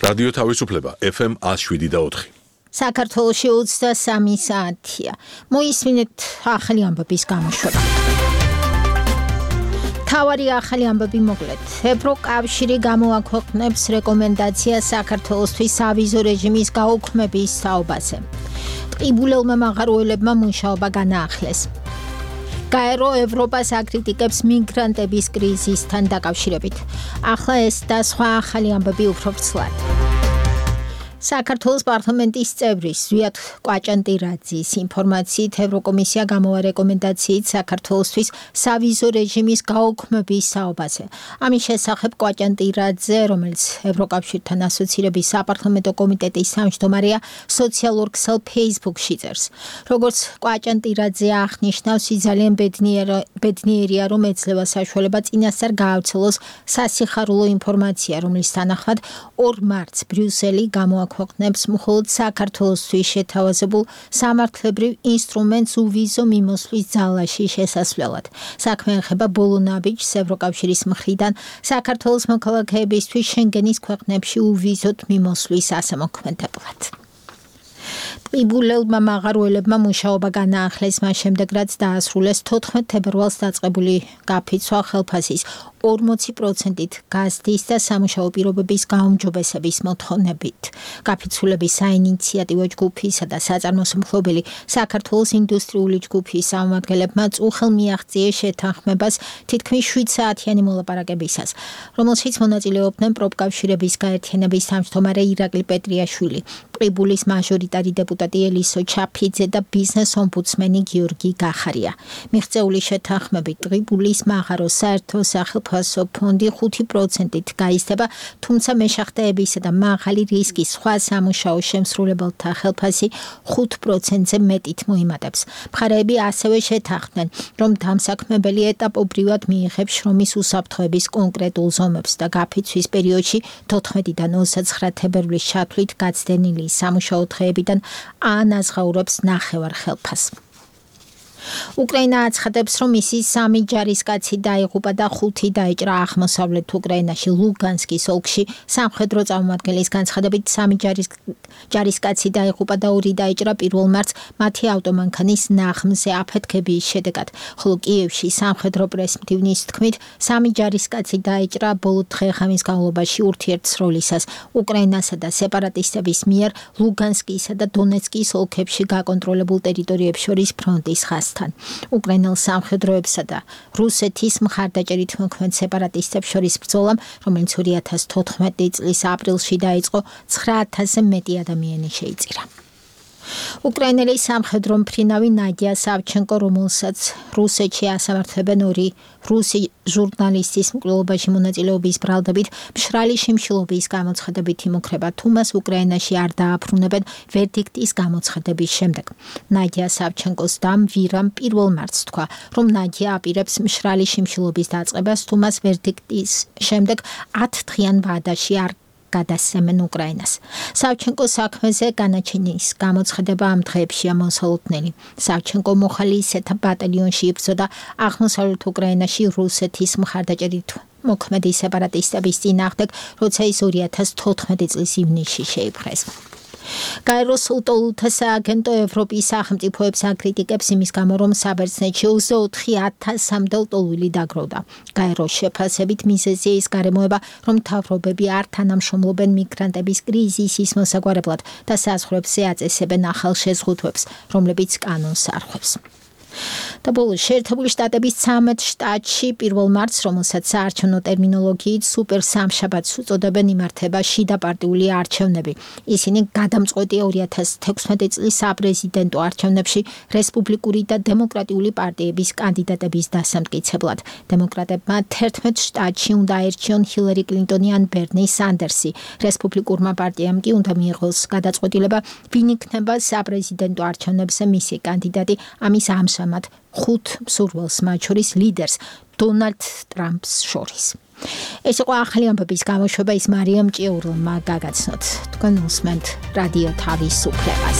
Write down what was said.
რადიო თავისუფლება FM 107.4. საქართველოში 23 საათია. მოისმინეთ ახალი ამბების გამოშვება. თავარი ახალი ამბები მოკლედ. ევროკავშირი გამოაქვეყნებს რეკომენდაციას საქართველოსთვის სავიზო რეჟიმის გაუქმების თაობაზე. ტყიბულელმა მაღაროელებმა მუშაობა განაახლეს. გაერო ევროპას აკრიტიკებს მიგრანტების კრიზისთან დაკავშირებით. ახლა ეს და სხვა ახალი ამბები უფრო ვრცლად. საქართველოს პარლამენტის წევრის ზვიად კვაჭანტირაძის ინფორმაციით ევროკომისია გამოვა რეკომენდაციით საქართველოსთვის სავიზო რეჟიმის გაუქმების თაობაზე. ამის შესახებ კვაჭანტირაძე, რომელიც ევროკავშირთან ასოცირების საპარლამენტო კომიტეტის თავმჯდომარეა, სოციალურ ქსელ Facebook-ში წერს. როგორც კვაჭანტირაძე აღნიშნავს, ძალიან ბედნიერია, რომ ეძლევა საშუალება წინასწარ გაავრცელოს სასიხარულო ინფორმაცია, რომლის თანახმად 2 მარტს ბრიუსელი გამოაქვეყნებს მხოლოდ საქართველოსთვის შეთავაზებულ სამართლებრივ ინსტრუმენტს უვიზო მიმოსვლის ძალაში შესასვლელად. საქმე ეხება ბოლო ნაბიჯს ევროკავშირის მხრიდან საქართველოს მოქალაქეებისთვის შენგენის ქვეყნებში უვიზოდ მიმოსვლის ასამოქმედებლად. ტყიბულელმა მაღაროელებმა მუშაობა განაახლეს მას შემდეგ, რაც დაასრულეს 14 თებერვალს დაწყებული გაფიცვა ხელფასის 40%-ით გაზდის და სამუშაო პირობების გაუმჯობესების მოთხოვნებით. გაფიცულების საინიციატივო ჯგუფისა და საწარმოს მფლობელი საქართველოს ინდუსტრიული ჯგუფის წარმომადგენლებმა წუხელ მიაღწიეს შეთანხმებას თითქმის 7 საათიანი მოლაპარაკებისას, რომელშიც მონაწილეობდნენ პროფკავშირების გაერთიანების თავმჯდომარე ირაკლი პეტრიაშვილი, ტყიბულის მაჟორიტარი დეპუტატი ელისო ჩაფიძე და ბიზნეს ომბუდსმენი გიორგი გახარია. მიღწეული შეთანხმებით ტყიბულის მაღაროს საერთო სახელმწიფო ფონდი 5%-ით გაიზრდება, თუმცა მეშახტეებისა და მაღალი რისკის სხვა სამუშაო შემსრულებელთა ხელფასი 5%-ზე მეტით მოიმატებს. მხარეები ასევე შეთანხმდნენ, რომ დამსაქმებელი ეტაპობრივად მიიღებს შრომის უსაფრთხოების კონკრეტულ ზომებს და გაფიცვის პერიოდში 14-დან 29 თებერვლის ჩათვლით გაცდენილი სამუშაო დღეებიდან ანაზღაურებს ნახევარ ხელფასს. უკრაინა აცხადებს, რომ მისი 3 ჯარისკაცი დაიღუპა და 5 დაიჭრა აღმოსავლეთ უკრაინაში ლუგანსკის ოლქში. სამხედრო წარმომადგენლის განცხადებით 3 ჯარისკაცი დაიღუპა და 2 დაიჭრა 1 მარტს მათი ავტომანქანის ნაღმზე აფეთქების შედეგად, ხოლო კიევში სამხედრო პრესმდივნის თქმით 3 ჯარისკაცი დაიჭრა ბოლო დღე-ღამის განმავლობაში ურთიერთსროლისას უკრაინასა და სეპარატისტების მიერ ლუგანსკისა და დონეცკის ოლქებში გაკონტროლებულ ტერიტორიებს შორის ფრონტის ხაზთან. უკრაინელ სამხედროებსა და რუსეთის მხარდაჭერით მოქმედ სეპარატისტებს შორის ბრძოლამ, რომელიც 2014 წლის აპრილში დაიწყო, 9000-ზე მეტი ადამიანი შეიწირა. უკრაინელი სამხედრო მფრინავი ნადია სავჩენკო, რომელსაც რუსეთში ასამართლებენ 2 რუსი ჟურნალისტის მკვლელობაში მონაწილეობის ბრალდებით, მშრალი შიმშილობის გამოცხადებით იმუქრება, თუ მას უკრაინაში არ დააფრუნებენ ვერდიქტის გამოცხადების შემდეგ. ნადია სავჩენკოს დამ ვირამ 1 მარტს თქვა, რომ ნადია აპირებს მშრალი შიმშილობის დაწყებას, თუ მას ვერდიქტის შემდეგ 10 დღიან ვადაში არ გადასცემენ უკრაინას. სავჩენკოს საქმეზე განაჩენის გამოცხადება ამ დღეებშია მოსალოდნელი. სავჩენკო მოხალისეთა ბატალიონში იბრძოდა აღმოსავლეთ უკრაინაში რუსეთის მხარდაჭერით მოქმედი სეპარატისტების წინააღმდეგ, როცა ის 2014 წლის ივნისში შეიპყრეს. გაეროს ულტოლთა სააგენტო ევროპის სახელმწიფოებს აკრიტიკებს იმის გამო, რომ საბერძნეთში 24,000-მდე ლტოლვილი დაგროვდა. გაეროს შეფასებით მიზეზია ის გარემოება, რომ მთავრობები არ თანამშრომლობენ მიგრანტების კრიზისის მოსაგვარებლად და საზღვრებზე აწესებენ ახალ შეზღუდვებს, რომლებიც კანონს არხვევს. და ბოლოს შეერთებული შტატების 13 შტატში 1 მარტს, რომელსაც საარჩევნო ტერმინოლოგიით სუპერ სამშაბათს უწოდებენ, იმართება შიდაპარტიული არჩევნები. ისინი გადამწყვეტია 2016 წლის საპრეზიდენტო არჩევნებში რესპუბლიკური და დემოკრატიული პარტიების კანდიდატების დასამტკიცებლად. დემოკრატებმა 11 შტატში უნდა აერჩიონ ჰილარი კლინტონი ან ბერნი სანდერსი. რესპუბლიკურმა პარტიამ კი უნდა მიიღოს გადაწყვეტილება, ვინ იქნება საპრეზიდენტო არჩევნებზე მისი კანდიდატი. ამის ამჟამად 5 მსურველს, მათ შორის ლიდერს დონალდ ტრამპს შორის. ეს იყო ახალი ამბების გამოშვება, ის მარიამ ჭიურულმა გაგაცნოთ. თქვენ უსმენთ რადიო თავისუფლებას.